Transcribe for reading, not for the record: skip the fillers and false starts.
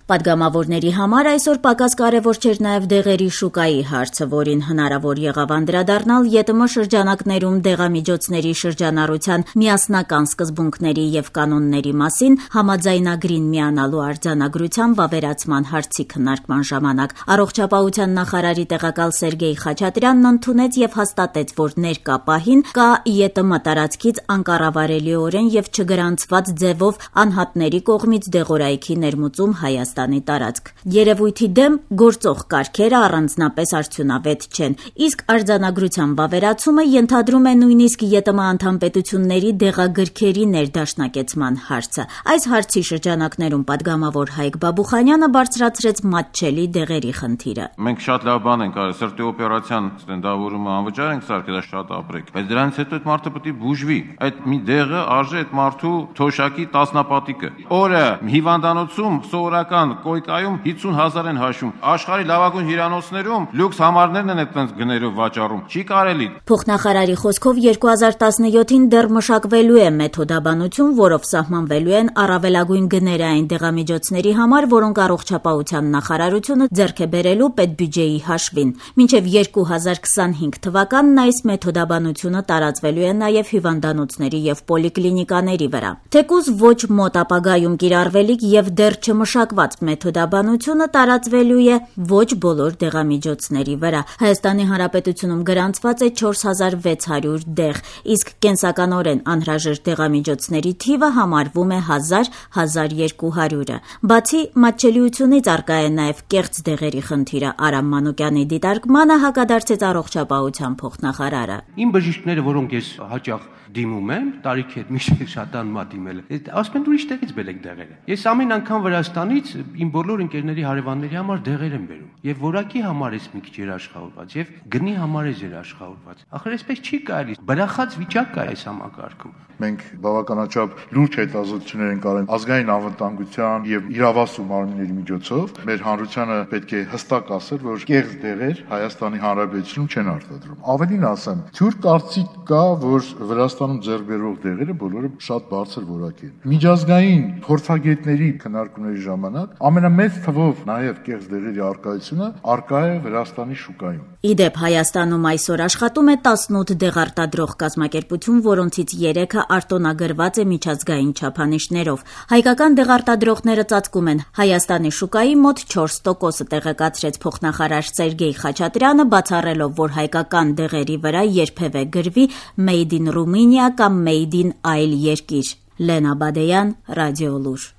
Պատգամավորների համար այսօր պակաս կարևոր չէր նաև դեղերի շուկայի հարցը, որին հնարավոր եղավ անդրադառնալ ԵՏՄ շրջանակներում դեղամիջոցների շրջանառության միասնական սկզբունքների եւ կանոնների մասին համաձայնագրին միանալու արձանագրության վավերացման հարցի քննարկման ժամանակ առողջապահության նախարարի տեղակալ Սերգեյ Խաչատրյանն ընդունեց եւ հաստատեց, որ ներկա պահին կա ԵՏՄ տարածքից անկառավարելիորեն եւ չգրանցված ձևով անհատների կողմից դեղորայքի ներմուծում Հայաստանի տարածք։ Երևույթի դեմ գործող կարգերը առանձնապես արդյունավետ չեն, իսկ արձանագրության վավերացումը ենթադրում է նույնիսկ ԵՏՄ անդամ պետությունների դեղագրքերի ներդաշնակեցման հարցը։ Այս հարցի շրջանակներում պատգամավոր Հայկ Բաբուխանյանը բարձրացրեց մատչելի դեղերի խնդիրը։ Մենք շատ լավ բան ենք արել, սրտի օպերացիան ստենդավորումը անվճար ենք սարքել, շատ ապրեք։ Բայց դրանից հետո այդ մարդը պետք է բուժվի։ Այդ մի դեղը արժե այդ մարդու թոշակի տասնապատիկը։ Օրը հիվանդանոցում սովորական կոյկայում 50,000 են հաշվում։ Աշխարհի լավագույն հյուրանոցներում լյուքս համարներն են այդպես գներով վաճառում։ Չի կարելի։ Փոխնախարարի խոսքով 2017-ին դեռ մշակվելու է մեթոդաբանություն, որով սահմանվելու են առավելագույն գները այն դեղամիջոցների համար, որոնք առողջապահության նախարարությունը ձեռք է բերելու պետբյուջեի հաշվին։ Մինչև 2025 թվականն այս մեթոդաբանությունը տարածվելու է նաև հիվանդանոցների եւ պոլիկլինիկաների վրա։ Թեկուզ ոչ մոտ ապագայում կիրառվելիք եւ դեռ չմշակված մեթոդաբանությունը տարածվելու է ոչ բոլոր դեղամիջոցների վրա։ Հայաստանի Հանրապետությունում գրանցված է 4600 դեղ, իսկ կենսականորեն անհրաժեշտ դեղամիջոցների թիվը համարվում է 1000-1200-ը։ Բացի մատչելիությունից առկա է նաև կեղծ դեղերի խնդիրը։ Արամ Մանուկյանի դիտարկմանը հակադարձեց առողջապահության փոխնախարարը։ Իմ բժիշկները, որոնք ես հաճախ դիմում եմ, տարիքի հետ միշտ շատան մա դիմել, ասում են ուրիշ տեղից բերեք դեղերը։ Ես ամեն անգամ Վրաստանից իմ բոլոր ընկերների հարևանների համար դեղեր եմ բերում։ Եվ որակի համար ես մի քիչ երաշխավորված, եւ գնի համար ես երաշխավորված։ Ախր այսպես չի կարելի։ Բրախած վիճակ կա այս համակարգում։ Մենք բավականաչափ լուրջ հետազոտություններ ենք արել ազգային անվտանգության եւ իրավասու մարմինների միջոցով։ Մեր հանրությանը պետք է հստակ ասել, որ կեղծ դեղեր Հայաստանի Հանրապետությունում չեն արտադրում։ Ավելին ասեմ, թյուր կարծիք կա, որ Վրաստանում ձեռք բերվող դեղերը բոլորը շատ բարձր որակի են։ Միջազգային փորձագետների քննարկումների ժամանակ ամենամեծ թվով նաեւ կեղծ դեղերի արկայությունը արկա է Վրաստանի շուկայում։ Իդեպ Հայաստանում այսօր աշխատում է 18 դեղարտադրող կազմակերպություն, որոնցից 3-ը արտոնագրված է միջազգային չափանիշներով։ Հայկական դեղարտադրողները ծածկում են Հայաստանի շուկայի մոտ 4%-ը, տեղեկացրեց փոխնախարար Սերգեյ Խաչատրյանը, բացառելով, որ հայկական դեղերի վրա երբևէ գրվի Made in Romania կամ Made in այլ երկիր։ Լենա Բադեյան, Ռադիոլուր։